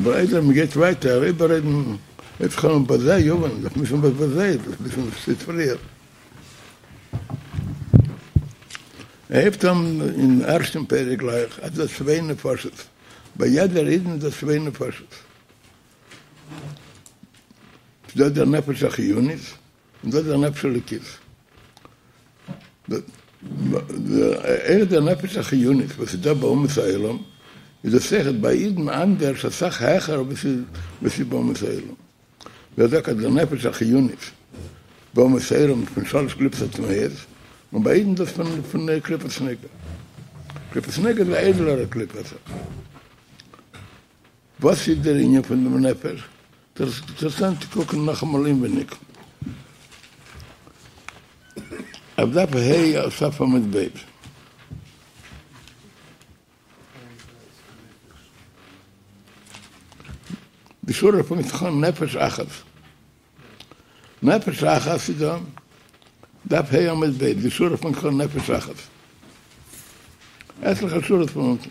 אבער איידער מען גייט ווייטער איבעררעדן אויב כ'קען בזה יובן, דארף מען וויסן וואס בזה איז, דארף וויסן וואס שטייט פריער. ער הייבט אן אין ערשטן פרק גלייך אז דא צוויי נפשות, ביי יעדער אידן איז דא צוויי נפשות, ס'דא דער נפש החיונית און דא דער נפש האלוקית. אויך דער נפש החיונית וואס איז דא ביי אומות העולם, איז דאס אויכעט ביי אידן אנדערש אסאך העכער ווי ס'איז ביי אומות העולם. ווי ער זאגט אז דער נפש החיונית ביי אומות העולם איז פון שלש קליפות הטמאות, און ביי אידן דאס פון קליפת נוגה. קליפת נוגה איז א איידעלערע קליפה אסאך. וואס איז דער ענין פון דעם נפש? אינטערעסאנט צו קוקן נאכאמאל אינווייניג אויף דף ה' סוף עמוד ב'. די שורה פאנגט זיך אן נפש אחת. נפש אחת איז דא, דף ה' עמוד ב', די שורה פאנגט זיך אן נפש אחת. עטליכע שורות פון אונטן.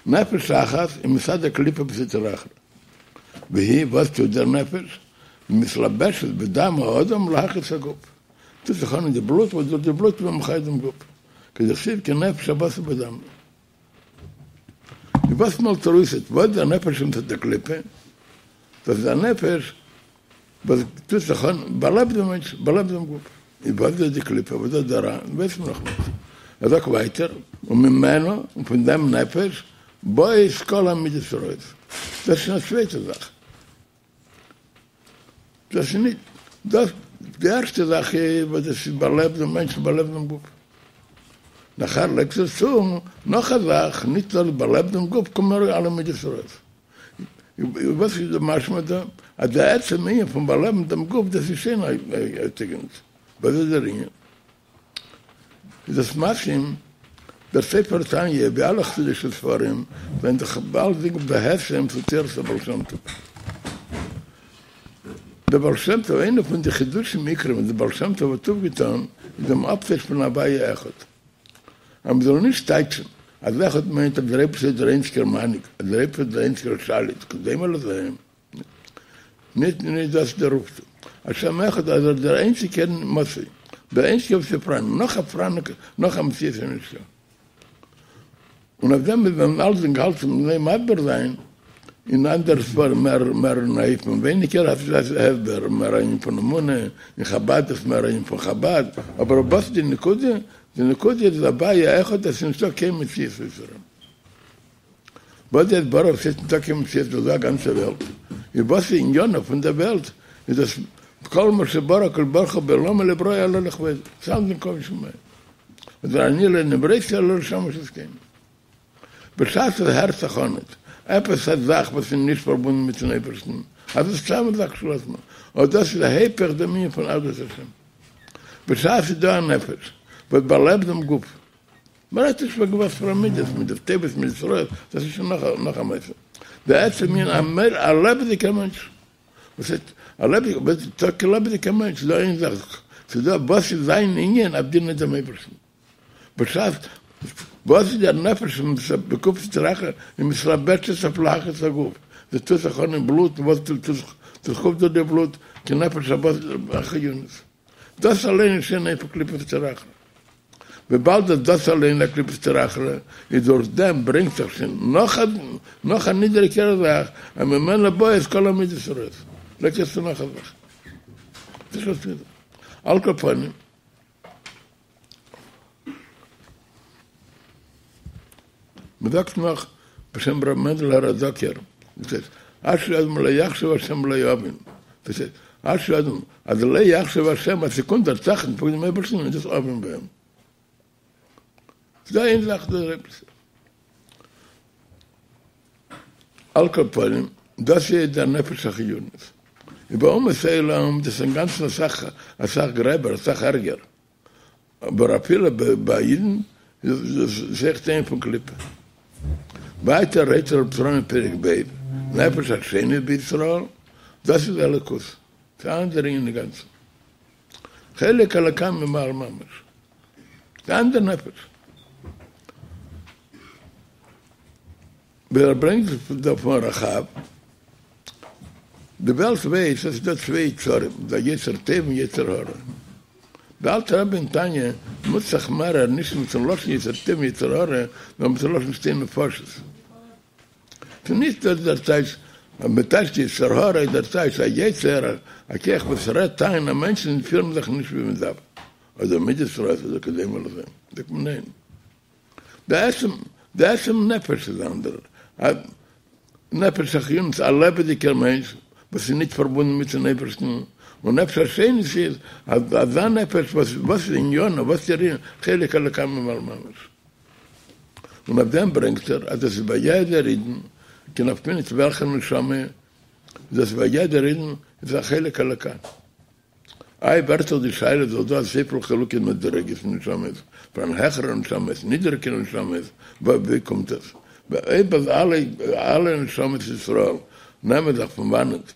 נפש אחת היא מצד הקליפה וסטרא אחרא. והיא, וואס טוט דער נפש? מתלבשת בדם האדם להחיות הגוף. טוט זיך אן אין די בלוט, וואס דורך די בלוט איז מען מחיה דעם גוף. כדכתיב כי נפש הבשר בדם היא. וואס מאלט ער אויס וואס דער נפש מצד הקליפה? דאס איז א נפש וואס טוט זיך אן, באלעבט דעם מענטש, באלעבט דעם גוף. איז וואס איז די קליפה, וואס איז דער רע, ווייסט מען נאכנישט. ער זאגט ווייטער, וממנו, און פון דעם נפש, באות כל המידות הרעות. דאס איז שוין א צווייטע זאך. דאס איז נישט, דאס, די ערשטע זאך איז וואס דאס איז באלעבט דעם מענטש, באלעבט דעם גוף. נאכער לייגט ער צו נאך א זאך, נישט נאר באלעבט דעם גוף, קומען ארויס אלע מידות רעות. וואס איז די משמע דא? אז די עצם ענין פון באלעבן דעם גוף דאס איז שוין א תיקון. וואס איז דער ענין? איז דאס מתאים דער ספר תניא ווי אלע חסידישע ספרים זענען דאך אלצדינג בהתאם צו תורת הבעל שם טוב. דער בעל שם טוב איינע פון די חידושים עיקרים וואס דער בעל שם טוב האט אויפגעטאן איז דעם אפטייטש פון הוויה אחד. אז מען זאל נישט טייטשן אז אחד מיינט אז דער אייבערשטער איז דער איינציגער מנהיג, אז דער אייבערשטער איז דער איינציגער שליט, כדומה לזה, נישט נישט דאס איז דער אויפטו. השם אחד אז ער איז דער איינציגער מצוי, דער איינציגער וואס איז פאראן, נאך א פאראן נאך א מציאות איז נישטא. און אויף דעם איז מען אלצדינג האלט אין איין מסביר זיין אין אנדערע ספרים מער מער אין אופן ווייניגער הסבר מער ענין פון אמונה, אין חבד איז מער ענין פון חבד, אבער וואס איז די נקודה? די נקודה איז הוויה אחד עס איז נישטא קיין מציאות אויסער אים. וואס דער ברוך ס'איז ניטא קיין מציאות איז דא א גאנצע וועלט, איז וואס איז עניינו פון דער וועלט איז דאס כל מה שברא הקדוש ברוך הוא בעולמו לא ברא אלא לכבודו, ס'אלצדינג כבוד שמים. אדער אני לא נבראתי אלא לשמש את קוני. בשעת עס הערט זיך אן עפעס א זאך וואס איז נישט פארבונדן מיטן אייבערשטן, אז עס איז סתם א זאך כשלעצמה, אט דאס איז היפך דעם ענין פון אחדות השם. בשעת ס'איז דא א נפש וואס באלעבט דעם גוף, מ'רעדט נישט וועגן וואס פאר א מידות, מידות טובות, מידות רעות, דאס איז שוין נאך א מעשה. די עצם ענין, א לעבעדיגער מענטש, וואס הייסט א לעבעדיגער, וואס איז טאקע לעבעדיגער מענטש, ס'איז דא איין זאך, ס'איז דא וואס איז זיין ענין אויף דינען דעם אייבערשטן, בשעת וואס איז דער נפש בגוף סטרא אחרא היא מתלבשת אויף להחיות הגוף, זי טוט זיך אן אין בלוט, וואס טוט זיך אויף דורך די בלוט, כנפש הבשר החיונית. דאס אליין איז שוין היפך קליפת סטרא אחרא. וויבאלד אז דאס אליין איז א קליפת סטרא אחרא, איז דורך דעם ברענגט זיך שוין נאך א נאך א נידעריגערע זאך, אז ממנו באות כל המידות הרעות. לייגט עס צו נאך א זאך. דאס איז על כל פנים. מ'זאגט נאך בשם ר' מענדל האראדאקער, דאס הייסט, אשרי אדם לא יחשב השם לו און, דאס הייסט, אשרי אדם אז לא יחשב השם אז ס'קומט דער טראכטן פון דעם אייבערשטן איז דאס און ביי אים. ס'דא איין זאך דער אייבערשטער. על כל פנים, דאס איז דער נפש החיונית. און ביי אומות העולם דאס איז אינגאנצן אסאך אסאך גרעבער, אסאך ערגער. אבער אפילו ביי אידן איז דאס אויכעט אן ענין פון קליפה. ווייטער רעדט ר' ישראל אין פרק ב', נפש השנית בישראל, דאס איז אלוקות, ס'איז א אנדערע ענין אינגאנצן. חלק אלוקה ממעל ממש. ס'איז א אנדערע נפש. ווי ער ברענגט דא פון רח"ב. די וועלט ווייסט אז ס'איז דא צוויי יצרים, דער יצר טוב און יצר הרע. דער אלטער רבי אין תניא נוצט זיך מערער נישט מיט'ן לשון יצר טוב און יצר הרע, נאר מיט'ן לשון שתי נפשות. ס'איז נישט דאס דער טייטש, אז מ'טייטשט יצר הרע איז דער טייטש א יצר, א כח וואס רעדט איין אז מענטשן פירן זיך נישט ווי מ'דארף, אדער מידות רעות אדער כדומה לזה. זאגט מען ניין. די עצם, די עצם נפש איז אנדערש. א נפש החיונית, א לעבעדיגער מענטש וואס איז נישט פארבונדן מיט'ן אייבערשטן, און נפש השנית איז אזא נפש וואס וואס איז עניינו, וואס איז איר חלק אלוקה ממעל ממש. און אויף דעם ברענגט ער אז דאס איז ביי יעדער אידן, קיין נפקא מינה נישט וועלכע נשמה, דאס איז ביי יעדער אידן איז א חלק אלוקה. איי ווערט דאך די שאלה איז דאך דא אזויפיל חילוקי מדריגות אין נשמות, פארהאן העכערע נשמות, נידעריגערע נשמות, ווי קומט עס? אויב אז אלע אלע נשמות ישראל נעמען זיך פון וואנעט?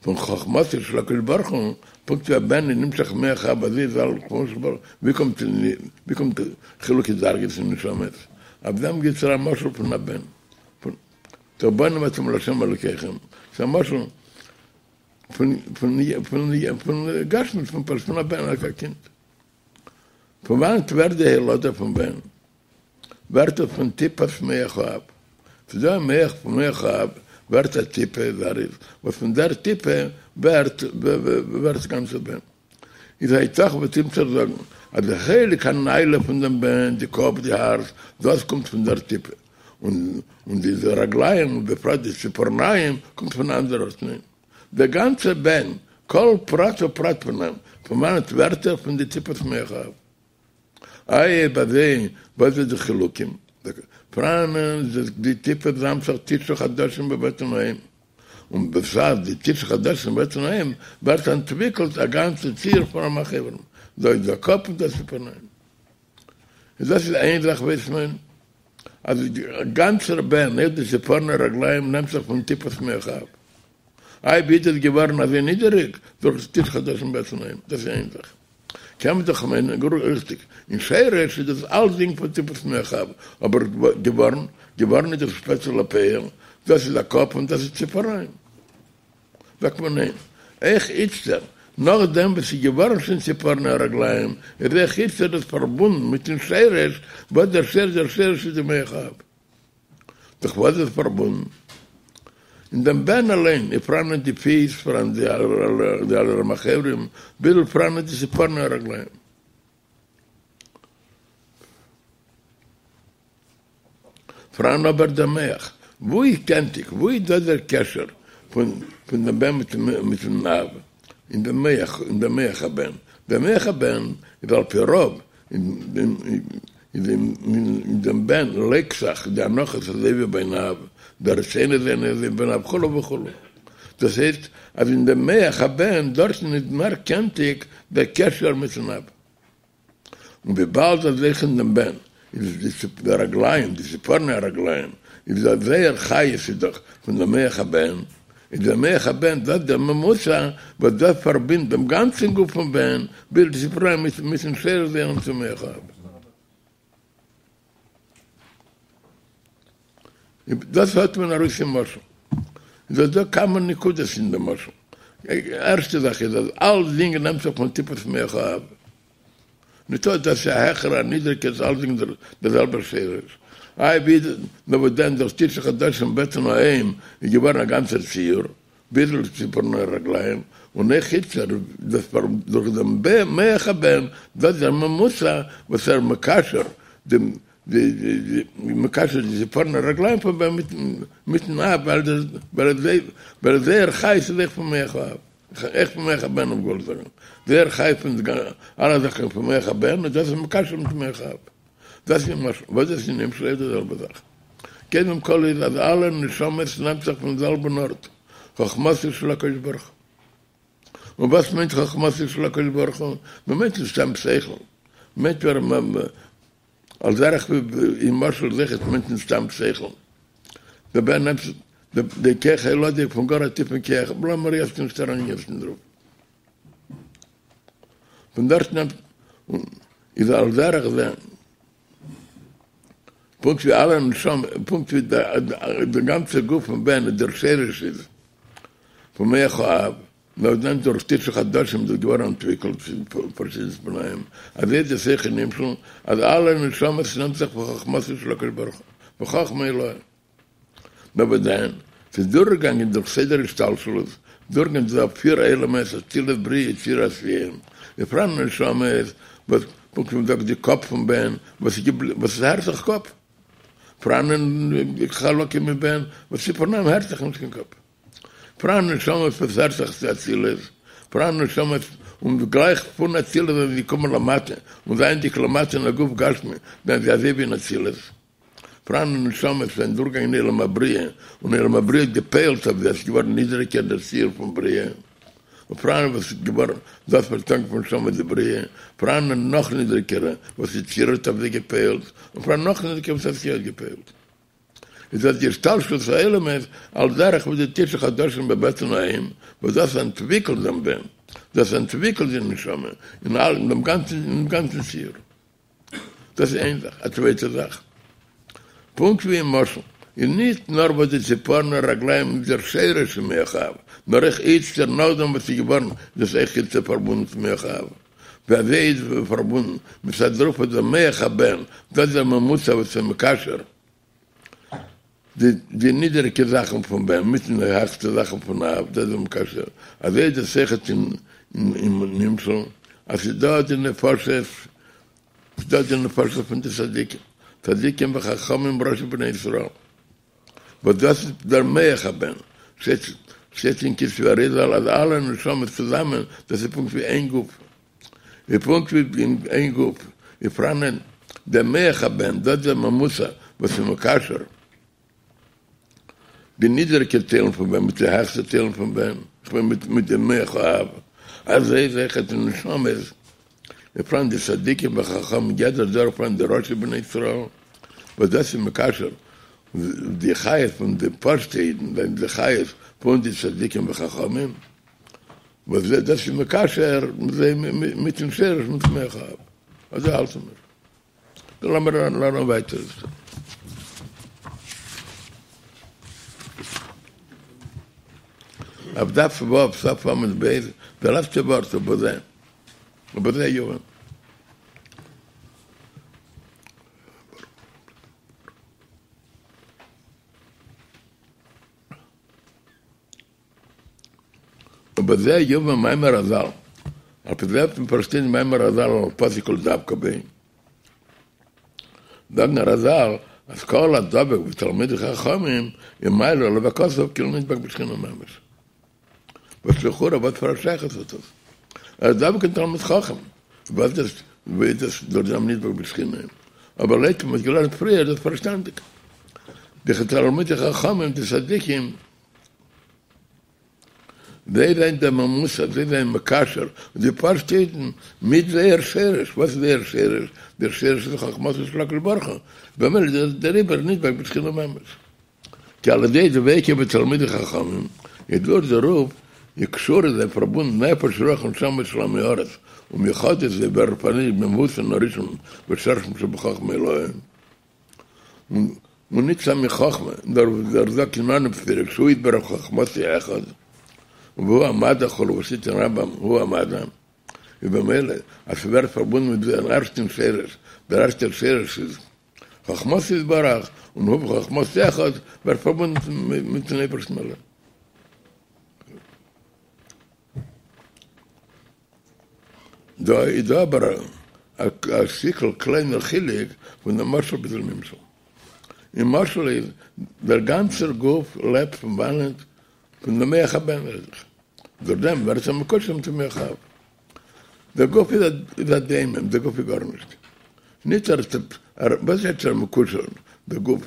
פון חכמתו של הקדוש ברוך הוא, פונקט ווי א בן איז נמשך ממח האב אזוי איז אלע חכמתו של ברוך הוא, ווי קומט ווי קומט חילוקי דרגות אין נשמות? אויף דעם גיבט ער א משל פון א בן, פון בנים אתם לה' אלוקיכם, ס'איז א משל פון פון פון פון גשמיות פון פשוט פון א בן א קינד. פון וואנעט ווערט די הולדה פון בן? ווערט עס פון טיפת מח האב. ס'איז דא א מח פון מח האב ווערט א טיפה זריז וואס פון דער טיפה ווערט ווערט גאנצע בן. איז היתכן וועט אימיצער זאגן אז די חלק הנעלה פון דעם בן, די קאפ, די הארץ, דאס קומט פון דער טיפה, און און די רגליים ובפרט די ציפורניים קומט פון אן אנדער ארט, ניין, דער גאנצער בן, כל פרט ופרט פון אים, פון וואנעט ווערט ער? פון די טיפת מח האב. איי אויב אזוי וואס איז די חילוקים? פראנען די טיפות זאמט זיך תשעה חדשים בבטן האם, און בשעת די תשעה חדשים בבטן האם ווערט אנטוויקלט א גאנצע ציור פון רמ"ח איברים, דא איז דער קאפ און דא ציפורניים. איז דאס איז איין זאך ווייסט מען אז די גאנצער בן אויך די ציפורני רגליים נעמט זיך פון טיפת מח האב. איי ווי איז דאס געווארן אזוי נידעריג? דורך די תשעה חדשים בבטן האם, דאס איז איין זאך. קען מען דאך מיינען גאר ריכטיג, אין שרש איז דאס אלסדינג פון טיפת מח האב, אבער געווארן, געווארן איז דאס שפעטער לפועל, דאס איז א קאפ און דאס איז ציפורניים. זאגט מען ניין. אויך איצטער, נאכדעם וואס ס'איז געווארן שוין ציפורני הרגליים, איז אויך איצטער דאס פארבונדן מיטן שרש, וואס דער שרש, דער שרש איז די מח האב. דורך וואס איז פארבונדן? אין דעם בן אליין איז פאראנען די פיס, פאראן די אלע רמ"ח איברים, ביז פאראנען די ציפורני הרגליים. פאראן אבער דער מח, וואו איז קענטיג, וואו איז דא דער קשר פון דעם בן מיטן אב? אין דעם מח, אין דעם מח הבן. דער מח הבן איז על פי רוב איז אין דעם בן לייגט זיך די הנחות אזוי ווי ביים אב, די רצונות זענען אזוי ווי ביים אב וכו' וכו'. דאס הייסט אז אין דעם מח הבן דארטן איז מער קענטיג דער קשר מיטן אב. און וויבאלד אז אויך אין דעם בן איז די רגליים, די ציפורני הרגליים, איז דאך זייער חיות איז דאך פון דעם מח הבן, איז דער מח הבן דאס דער ממוצע וואס דאס פארבינדט דעם גאנצן גוף פון בן ביז די ציפורניים מיטן שרש זייערן צום מח האב. דאס האט מען ארויס אין משל. איז דא דא כמה נקודות אין דעם משל. ערשטע זאך איז אז אלסדינג נעמט זיך פון טיפת מח האב. ניטא דאס איז א העכערע א נידריגע איז אלסדינג דער זעלבער שרש. איי ווי איז נאר וואס דען דורך תשעה חדשים בטן האם איז געווארן א גאנצער ציור ביז לציפורני הרגליים און אויך איצטער דאס דורך דעם מח הבן דאס דער ממוצע וואס ער מקשר דעם די מקשר די ציפורני הרגליים פון בן מיטן אב ווייל זייער חיות איז אויך פון מח האב. אויך פון מח הבן האב געוואלט זאגן זייער חיות פון די אלע זאכן פון מח הבן און דאס איז מקשר מיט מח האב. דאס איז משל, וואס דאס איז נמשל איז די זעלבע זאך. קודם כל איז אז אלע נשמות נעמט זיך פון זעלבן ארט, חכמתו של הקדוש ברוך הוא. און וואס מיינט חכמתו של הקדוש ברוך הוא? מען מיינט נישט סתם שכל, מיינט על דרך ווי אין משל זיכער מיינט נישט סתם שכל. דער בן נעמט די כח ההולדה פון גאר א טיפן כח, לאמיר יעצט נישט אריינגיין אין דערויף. פון דארט נעמט איז על דרך זה. פונקט ווי אלע נשמות, פונקט ווי דער גאנצער גוף פון בן איז דער שרש איז פון מח האב, נאכדעם דורך תשעה חדשים איז עס געווארן אנטוויקלט צו פארשידענע תנאים, אזוי איז דאס אויך אין נמשל אז אלע נשמות נעמט זיך פון חכמתו של הקדוש ברוך הוא, בחכמה עילאה. נאר וואס דען, ס'איז דורכגעגאנגען דורך סדר השתלשלות, דורכגעגאנגען דורך פיר עולמות, אצילות בריאה יצירה עשייה, איז פאראן נשמות וואס פונקט ווי מ'זאגט די קאפ פון בן וואס איז געבליבן וואס עס הערט זיך קאפ, פאראן חלקים אין בן וואס איז פאראן הערט זיך נישט קיין קאפ. פאראן נשמות וואס הערט זיך צו אצילות, פאראן נשמות און גלייך פון אצילות זענען זיי געקומען למטה, און זייענדיג למטה אין א גוף גשמי זענען זיי אזוי ווי אין אצילות. פאראן נשמות זענען דורכגעגאנגען אין עולם הבריאה, און עולם הבריאה האט געפועלט אויף זיי, עס איז געווארן נידעריגער דער ציור פון בריאה, און פאראן וואס איז געווארן דאס ווערט אנגערופן נשמה דבריאה, פאראן נאך נידעריגערע וואס יצירה האט אויף זיי געפועלט, און פאראן נאך נידעריגערע וואס עשייה האט געפועלט. איז דאס די השתלשלות העולמות על דרך ווי די תשעה חדשים בבטן האם, וואס דאס אנטוויקלט דעם בן, דאס אנטוויקלט די נשמה אין דעם גאנצן ציור. דאס איז איין זאך. א צווייטע זאך, פונקט ווי אין משל, איז ניט נאר וואס די ציפורני רגליים איז דער שרש אין מח האב, נאר אויך איצטער נאכדעם וואס ס'איז געווארן איז דאס אויך איצטער פארבונדן צום מח האב. ווי אזוי איז פארבונדן מצד דערויף וואס דער מח הבן, דאס איז דער ממוצע וואס איז מקשר די די נידעריגע זאכן פון בן מיטן די העכסטע זאכן פון אב, דאס איז מקשר, אזוי איז דאס אויכעט אין נמשל, אז ס'איז דא די נפשות, ס'איז דא די נפשות פון די צדיקים, צדיקים וחכמים ראשי בני ישראל, וואס דאס איז דער מח הבן, שטייט אין כתבי אריזל אז אלע נשמות צוזאמען דאס איז פונקט ווי איין גוף, ווי פונקט ווי אין איין גוף איז פאראנען דער מח הבן, דאס איז דער ממוצע וואס איז מקשר די נידעריגע טיילן פון בן מיט די העכסטע טיילן פון בן, איך מיין מיט דעם מח האב, אזוי איז אויכעט די נשמות, איז פאראן די צדיקים וחכמים יעדער דור פאראן די ראשי בני ישראל, וואס דאס איז מקשר די חיות פון די פשוטע אידן זענען די חיות פון די צדיקים וחכמים. וואס דאס איז מקשר זיי מיטן שרש מיטן מח האב, אזוי האלטן מיר. נו לאמיר לערנען ווייטער. אויף דף ו' סוף עמוד ב', די לעצטע ווארט ובזה, ובזה יובן. ובזה יובן מאמר רז"ל, על פי זה וועט מען פארשטיין מאמר רז"ל על פסוק ולדבקה בו, זאגן רז"ל אז כל הדבק בתלמידי חכמים איז מעלה עליו הכתוב כאילו נדבק בשכינה ממש. וואס לכאורה וואס פאר א שייכות האט דאס? ער איז דבוק אין תלמיד חכם, וואס דאס ווי איז דאס דורך דעם נדבק בשכינה? אבער לויט ווי מ'האט געלערנט פריער איז דאס פארשטאנדיג. די תלמידי חכמים די צדיקים זיי זענען דער ממוצע, זיי זענען מקשר די פשוטע אידן מיט זייער שרש, וואס איז זייער שרש? דער שרש איז חכמתו של הקדוש ברוך הוא, במילא איז דעריבער נדבק בשכינה ממש. כי על ידי דביקות בתלמידי חכמים, איז דורך דערויף איז קשורה זיי פארבונדן נפש רוח ונשמה של עמי הארץ, ומיוחדות זיי ווערן פאראייניגט במהותן הראשון ושרשם שבחכמה עילאה. און ניט סתם אין חכמה, נאר ווי ער זאגט אין אנהויב פרק שהוא יתברך וחכמתו אחד, והוא המדע כו' וואס שטייט אין רמב"ם הוא המדע, איז במילא אז ס'ווערט פארבונדן מיט דעם ערשטן שרש, דער ערשטער שרש איז חכמתו יתברך, און הוא וחכמתו אחד ווערט פארבונדן מיטן אייבערשטן אליין. דא איז דא אבער א שטיקל קליינער חילוק פון דעם משל ביז דעם נמשל. אין משל איז דער גאנצער גוף לעבט פון וואנעט? פון דעם מח הבן רעד איך. דורך דעם ווערט ער מקושר מיטן מח האב. דער גוף איז א דומם, דער גוף איז גארנישט. נישט ער ער וואס הייסט ער מקושר דער גוף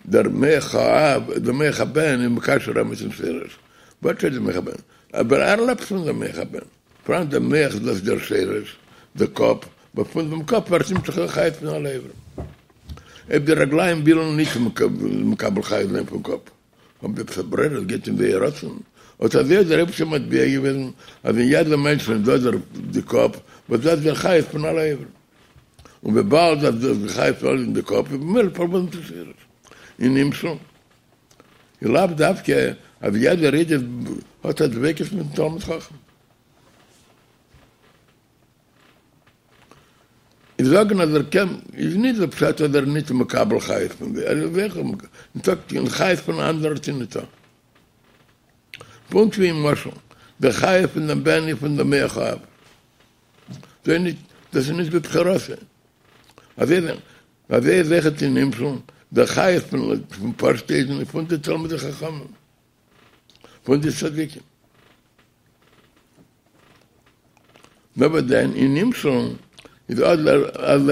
דער מח האב דער מח הבן איז מקשר אים מיטן שרש. וואס הייסט דער מח הבן? אבער ער לעבט פון דעם מח הבן. פאראן דער מח דאס איז דער שרש, דער קאפ, וואס פון דעם קאפ ווערט נמשך דער חיות פון אלע איברים. אויב די רגליים ווילן נישט מקבל חיות זיין פון קאפ, האבן זיי עפעס א ברירה, עס גייט אין זייער רצון. אט אזוי האט דער אייבערשטער מטביע געוועזן אז אין יעדע מענטש איז דא דער די קאפ, וואס דאס איז דער חיות פון אלע איברים. און וויבאלד אז דאס חיות איז אין די קאפ איז במילא פארבונדן צו שורש. אין נמשל איז לאו דווקא אז יעדער איד האט א דביקות מיטן תלמיד חכם. איז זאגן אז ער קען איז נישט דער פשט אז ער איז נישט מקבל חיות פון זיי, ער איז זיכער ניטא קיין חיות פון אן אנדער ארט איז ניטא. פונקט ווי אין משל, דער חיות פון דעם בן איז פון דעם מח האב. דאס איז נישט בבחירתו. אזוי איז אויכעט אין נמשל, דער חיות פון פשוטע אידן איז פון די תלמידי חכמים, פון די צדיקים. נאר וואס דען אין נמשל איז אדער אז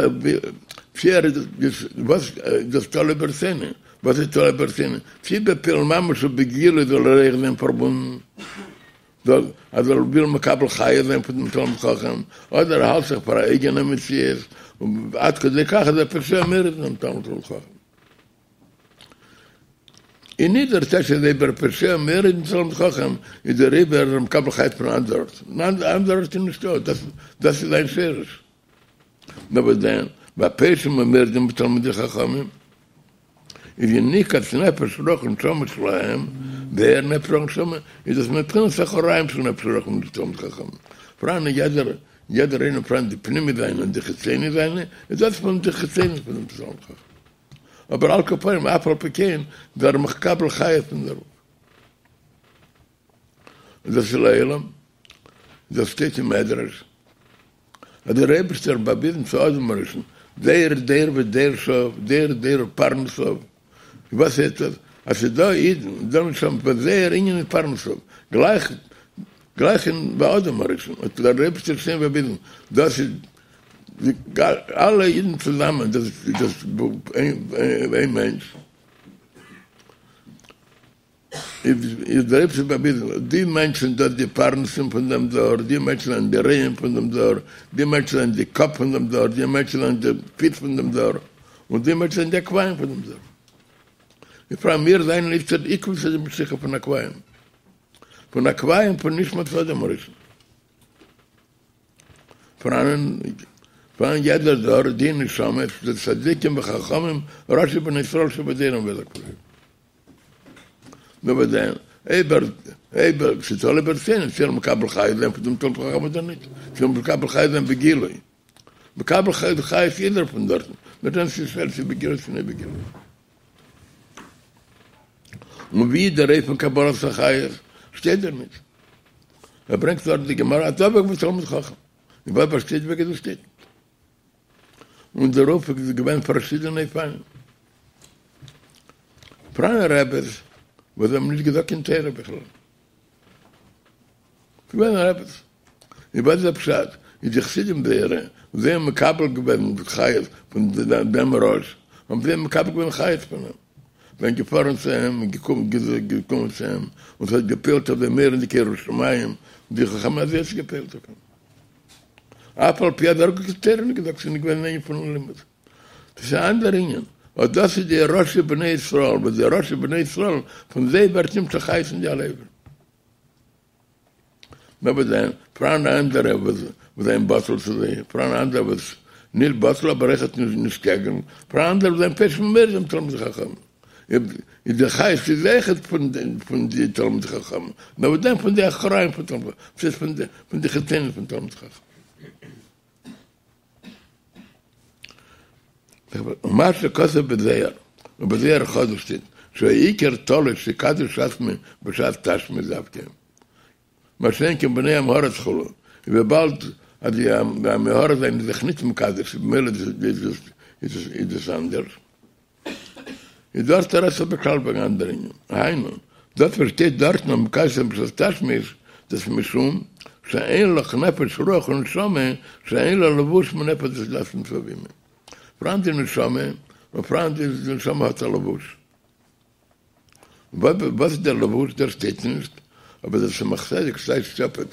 צו ער איז וואס דאס תלוי ברצונו, וואס איז תלוי ברצונו? צו בפועל ממש ובגילוי זאל ער אויך זיין פארבונדן, זאל אז ער וויל מקבל חיות זיין פון דעם תלמיד חכם, אדער ער האלט זיך פאר א אייגענע מציאות, עד כדי כך אז ער פושע ומורד אין דעם תלמיד חכם. און נישט דער טייטש אז אויב ער פושע ומורד אין תלמיד חכם איז דעריבער ער מקבל חיות פון אנדער ארט, ניין אנדער ארט איז נישטא, דאס דאס איז זיין שורש. נאר וואס דען, ביי פושעים ומורדים בתלמידי חכמים איז יניקת נפש רוח ונשמה שלהם, זייער נפש רוח ונשמה איז דאס מבחינת אחוריים של נפש רוח ונשמה תלמיד חכם, פאראן יעדער יעדער איינער פאראן די פנימי זיינע און די חיצוני זיינע, איז דאס פון די חיצוני פון דעם תלמיד חכם. אבער על כל פנים אף על פי כן איז ער מקבל חיות פון דערויף. און דאס איז לעולם, דאס שטייט אין מדרש, אז דער אייבערשטער האט באוויזן צו אדם הראשון דור דור ודורשיו, דור דור ופרנסיו, וואס הייסט דאס? אז ס'איז דא אידן, דא נשמות וואס זייער ענין איז פרנסיו, גלייך גלייך אין ביי אדם הראשון האט דער אייבערשטער שוין באוויזן, דאס איז אלע אידן צוזאמען, דאס איז איין מענטש. איז דער אייבערשטער באוויזן, די מענטשן דאס די פרנסים פון דעם דור, די מענטשן זענען די רועים פון דעם דור, די מענטשן זענען די קאפ פון דעם דור, די מענטשן זענען די פיס פון דעם דור, און די מענטשן זענען די עקביים פון דעם דור. בפרט מיר זענען איצטערט עקבתא דמשיחא פון עקביים, פון עקביים פון נשמת אדם הראשון. פאראן פאראן יעדער דור די נשמות, די צדיקים וחכמים, ראשי בני ישראל שבדורם וכו'. נאר וואס דען, אויב ער, אויב ער, ס'איז תלוי ברצונו, צו ער מקבל חיות זיין פון דעם תלמיד חכם אדער נישט, צו ער מקבל חיות זיין בגילוי, מקבל חיות חיות איז ער פון דארטן, נאר דען ס'איז שווער צו בגילוי צו נישט בגילוי. און ווי איז דער אופן קבלת החיות, שטייט דארט נישט. ער ברענגט דארט די גמרא הדבק בתלמיד חכם, און וואס באשטייט וועגן דאס שטייט נישט. און דערויף איז געווען פארשידענע אופנים. פראן רעבעס וואס האבן נישט געזאגט קיין תורה בכלל. ס'געווען רעבעס. און וואס איז דער פשט? איז די חסידים זייערע וואס זיי האבן מקבל געווען חיות פון דעם ראש, האבן זיי מקבל געווען חיות פון אים. זענען געפארן צו אים און געקומען צו אים, און ס'האט געפועלט אויף זיי מורא'דיגע יראת שמים, און די חכמים אזוי האט עס געפועלט אויף אים. אף על פי אז ער האט קיין תורה נישט געזאגט, ס'איז נישט געווען אן ענין פון לימוד. דאס איז א אנדער ענין. אט דאס איז די ראשי בני ישראל, וואס די ראשי בני ישראל, פון זיי ווערט נמשך חיות אין די אלע איברים. נאר וואס דען, פאראן אנדערע וואס זענען בטל צו זיי, פאראן אנדערע וואס נישט בטל אבער אויכעט נישט קעגן, פאראן אנדערע וואס זענען פושעים ומורדים בתלמידי חכמים. איז די חיות איז אויכעט פון די תלמידי חכמים, נאר וואס דען פון די אחוריים פון תלמידי חכמים, ס'איז פון די חיצונים פון תלמידי חכמים. ומה שכתוב בזוהר, ובזוהר החדש שטייט, שהעיקר תלוי שיקדש עצמו בשעת תשמיש דווקא, מה שאין כן בני עם הארץ כו', און וויבאלד אז די עמי הארץ זענען זיך נישט מקדש במילא איז דאס אנדערש. איז דארט רעדט זיך בכלל וועגן אנדערע ענינים, היינו, דאס וואס שטייט דארטן אז מקדש זיין בשעת תשמיש, דאס משום שאין לך נפש רוח ונשמה שאין לה לבוש מנפש הגשמית והבהמית. פאראן די נשמה, און פאראן די נשמה האט א לבוש. וואס איז דער לבוש? דאס שטייט נישט, אבער דער צמח צדק טייטשט אפ,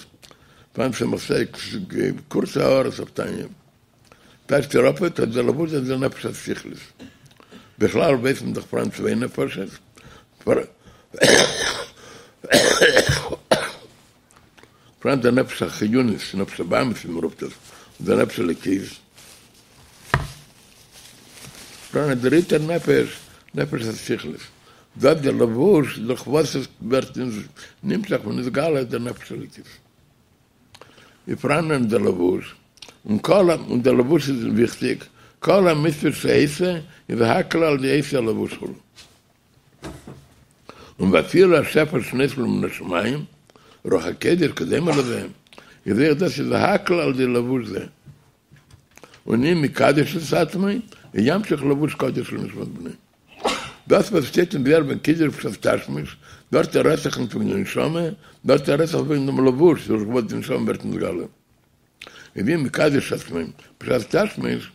פאראן צמח צדק קורצע הערות אויף תניא, טייטשט ער אפ אז דער לבוש איז דער נפש השכלית. בכלל ווייס מען דאך פאראן צוויי נפשות, פאראן דער נפש החיונית, נפש הבהמית ווי מען רופט עס, און דער נפש האלוקית. פאראן א דריטער נפש, נפש השכלית, דאס דער לבוש דורך וואס עס ווערט נמשך ונתגלה דער נפש האלוקית. איז פאראן דער לבוש, און כל ה, און דער לבוש איז וויכטיג, כל המצוות שעושה איז הכל על ידי עושי הלבוש כו'. און ואפילו השפע שנופל מן השמים, רוח הקודש כדומה לזה, איז אויך דאס איז הכל על ידי לבוש זה. און אם מקדש את עצמו, ימשיך לבוש קדוש לנשמת בנו. דאס וואס שטייט אין זוהר וועגן קידוש בשעת תשמיש, דארט רעדט זיך נישט וועגן די נשמה, דארט רעדט זיך וועגן דעם לבוש דורך וואס די נשמה ווערט נתגלה. איז אם מקדש עצמו בשעת תשמיש,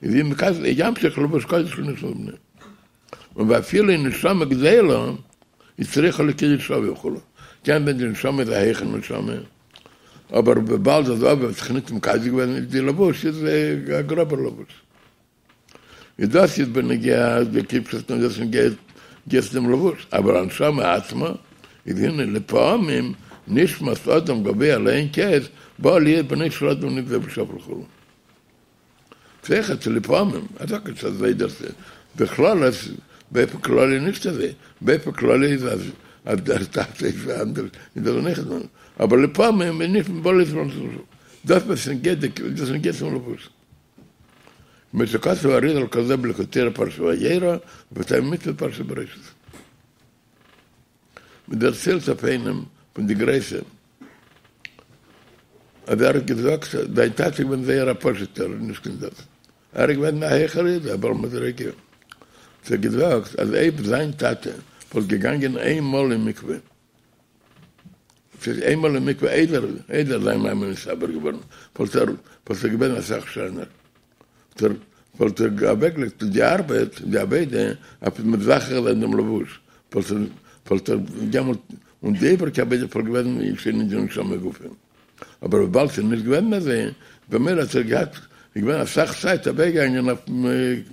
איז אם מקדש, ימשיך לבוש קדוש לנשמת בנו. און ואפילו אין נשמה גדולה איז צריכה לקידוש אביו וכו', קען זיין די נשמה איז א העכערע נשמה, אבער וויבאלד אז אביו האט זיך נישט מקדש געווען איז די לבוש איז א גראבער לבוש. איז דאס איז בנוגע די קידוש און דאס נוגע צו דעם לבוש, אבער הנשמה עצמה איז הנה לפעמים נשמת אדם גבוה לאין קץ בא להיות בנו של אדם נבזה ושפל וכו'. זיכער צו לפעמים, איך זאג נישט אזוי דאס איז בכללות, באופן כללי נישט אזוי, באופן כללי איז אז אז דער טאטע איז אנדערש איז דאס נישט אזוי, אבער לפעמים איז נישט בא להיות דאס וואס נוגע דאס נוגע צום לבוש. כמו שכתב האריז"ל כזה בליקוטי תורה פרשת וירא ובטעמי מצוות פרשת בראשית. מען דערציילט אויף איינעם פון די גרויסע אז ער האט געזאגט זיין טאטע איז געווען זייער א פשוט'ער נישט קיין דאס ער איז געווען א העכערע איד א בעל מדריגה האט ער געזאגט אז אויב זיין טאטע וואלט געגאנגען איין מאל אין מקווה ס'איז איין מאל אין מקווה איידער איידער זיין מאמע איז נתעבר געווארן וואלט ער וואלט ער געווען אסאך שענער וואלט ער אוועקגעלייגט די ארבעט, די עבודה, אויף מזכך זיין דעם לבוש, וואלט ער דעמאלט, און די איבעריגע עבודה וואלט געוועזן שוין אין די נשמה גופא. אבער וויבאלד ס'איז נישט געוועזן אזוי, במילא האט ער געהאט, איז געווען אסאך צייט אוועקגעגאנגען אויף.